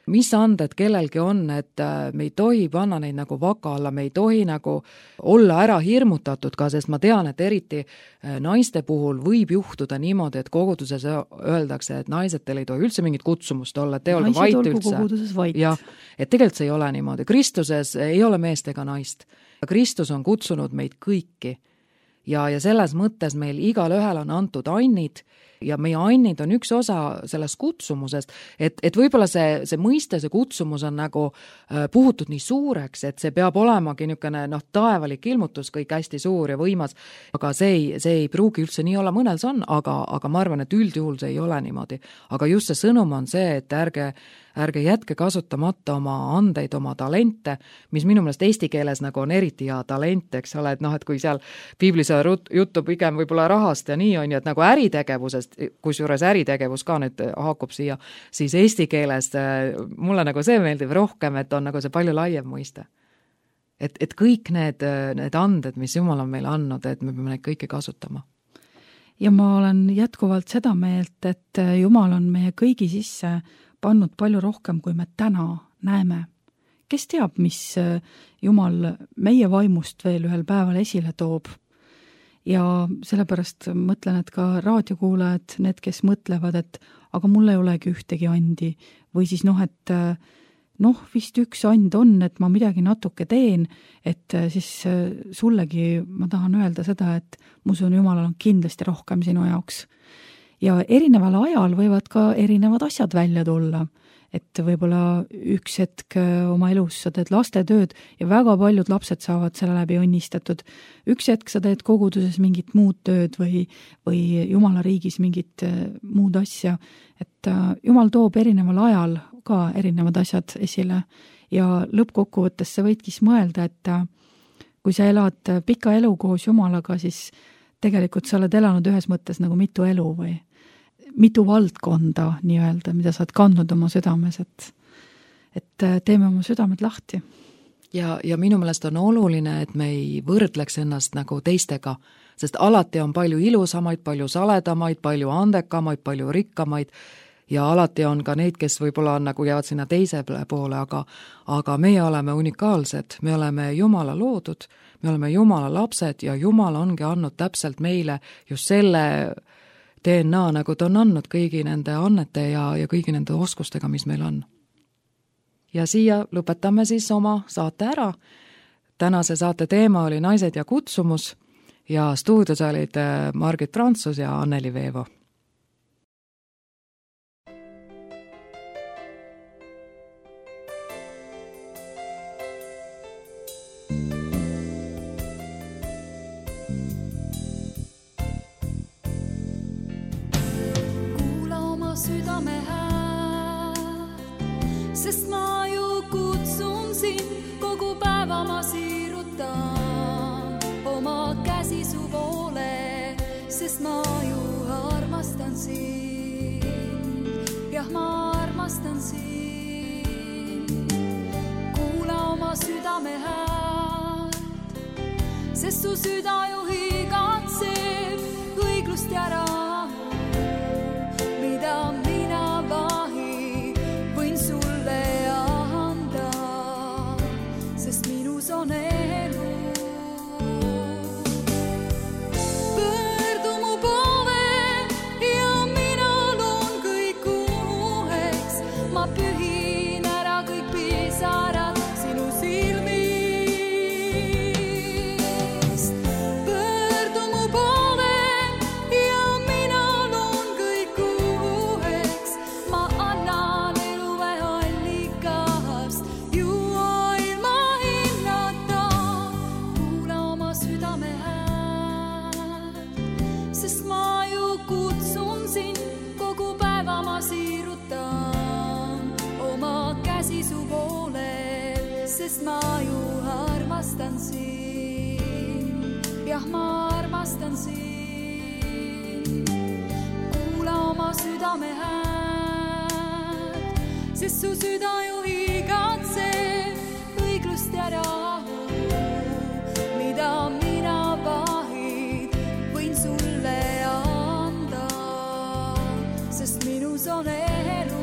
mis anded kellelgi on, et me ei tohi panna neid nagu vaka alla, me ei tohi nagu olla ära hirmutatud ka, sest ma tean, et eriti naiste puhul võib juhtuda niimoodi, et koguduses öeldakse, et naised teil ei tohi üldse mingit kutsumust olla, et te olge vait üldse. Jah, et tegelikult see ei ole niimoodi. Kristuses ei ole meest ega naist. Kristus on kutsunud meid kõiki ja, ja selles mõttes meil igal ühel on antud annid ja meie annid on üks osa sellest kutsumusest, et, et võib-olla see, see mõiste, see kutsumus on nagu äh, puhutud nii suureks, et see peab olemagi niisugune noh, taevalik ilmutus, kõik hästi suur ja võimas, aga see ei, see ei pruugi üldse nii olla, mõnel see on, aga, aga ma arvan, et üldjuhul see ei ole niimoodi. Aga just see sõnum on see, et ärge ärge jätke kasutamata oma andeid, oma talente, mis minu meelest eesti keeles nagu on eriti hea talent, eks ole, et noh, et kui seal piiblis juttu pigem võib-olla rahast ja nii on ju, et nagu äritegevusest, kusjuures äritegevus ka nüüd haakub siia, siis eesti keeles mulle nagu see meeldib rohkem, et on nagu see palju laiem mõiste. Et, et kõik need, need anded, mis Jumal on meile andnud, et me peame neid kõiki kasutama. Ja ma olen jätkuvalt seda meelt, et Jumal on meie kõigi sisse pannud palju rohkem, kui me täna näeme. Kes teab, mis Jumal meie vaimust veel ühel päeval esile toob? Ja sellepärast mõtlen, et ka raadiokuulajad, need, kes mõtlevad, et aga mul ei olegi ühtegi andi. Või siis noh, et noh, vist üks and on, et ma midagi natuke teen, et siis sullegi ma tahan öelda seda, et mu usun, Jumalal on kindlasti rohkem sinu jaoks. Ja erineval ajal võivad ka erinevad asjad välja tulla, et võib-olla üks hetk oma elus sa teed lastetööd ja väga paljud lapsed saavad selle läbi õnnistatud. Üks hetk sa teed koguduses mingit muud tööd või, või Jumala riigis mingit muud asja, et Jumal toob erineval ajal ka erinevad asjad esile ja lõppkokkuvõttes sa võidki mõelda, et kui sa elad pika elu koos Jumalaga, siis tegelikult sa oled elanud ühes mõttes nagu mitu elu või mitu valdkonda nii-öelda, mida sa oled kandnud oma südames, et, et teeme oma südamed lahti. Ja, ja minu meelest on oluline, et me ei võrdleks ennast nagu teistega, sest alati on palju ilusamaid, palju saledamaid, palju andekamaid, palju rikkamaid ja alati on ka neid, kes võib-olla nagu jäävad sinna teise poole, aga, aga meie oleme unikaalsed, me oleme Jumala loodud, me oleme Jumala lapsed ja Jumal ongi andnud täpselt meile just selle D N A, nagu ta on andnud kõigi nende annete ja, ja kõigi nende oskustega, mis meil on. Ja siia lõpetame siis oma saate ära. Tänase saate teema oli naised ja kutsumus ja stuudios olid Margit Prantsus ja Anneli Veevo. Südame hääl, sest ma ju kutsun sind, kogu päeva ma siirutan oma käsi su poole, sest ma ju armastan sind, jah ma armastan sind. Kuula oma südame hääl, sest su süda ju higatseb õiglust ja rahu. Mida mina vahi võin sulle anda, sest minus on elu. Pöördu mu poole ja mina loon kõik uueks. Ma pühin ära kõik pisarad sinu silmist. Pöördu mu poole ja mina loon kõik uueks. Ma annan eluve allikast juua ilma hinnata. Kuula oma südame hääl, sest ma ju kutsun sind, kogu päeva ma siirutan oma käsi su poole, sest ma ju armastan sind, jah ma armastan sind. Kuula oma südame hääl, sest su süda ju higatseb õiglust ja rahu. Mida mina vahid võin sulle anda, sest minus on elu.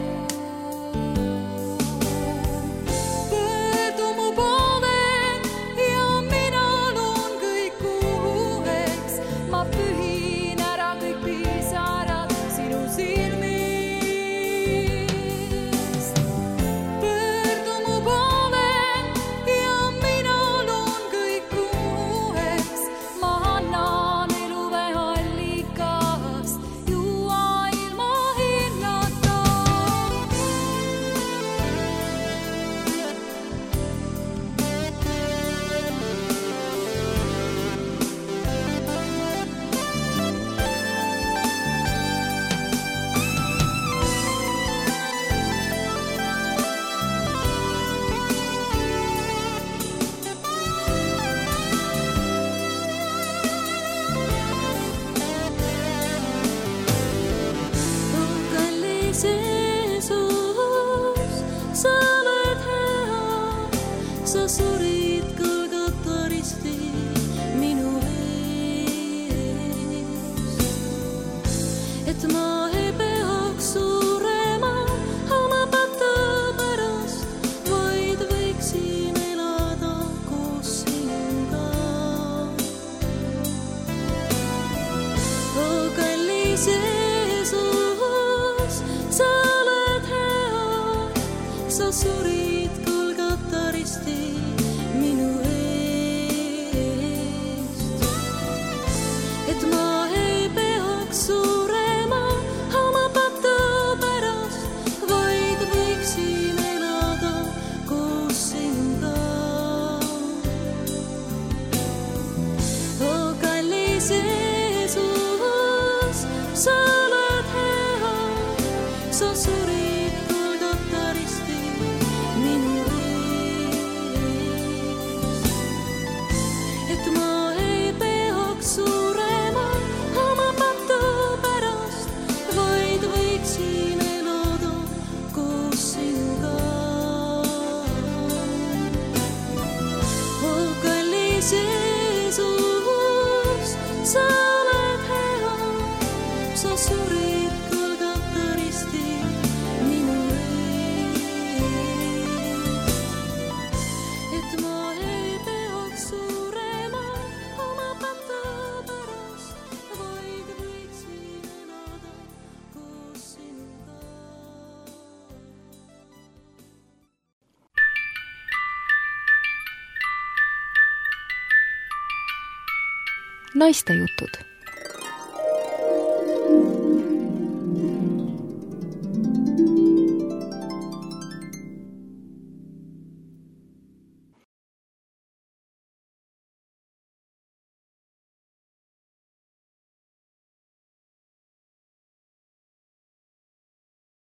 et ma ei peaks surema oma pata pärast, vaid võiksin elada koos sinuga. Oh, kallis Jeesus, sa oled hea, sa surid Golgata ristil minu eest, et ma ei peaks surema oma pata pärast, vaid võiksin elada koos sinuga. Oh, kallis Jeesus, sa oled hea, sa surid Golgata ristil minu eest, et ma ei peaks surema oma pata pärast, vaid võiksin elada koos sinuga. Oh, kallis Jeesus, sa oled hea, sa surid Golgata ristil minu eest, et ma ei peaks surema oma pata pärast, vaid võiksin elada koos sinuga. Naistejutud.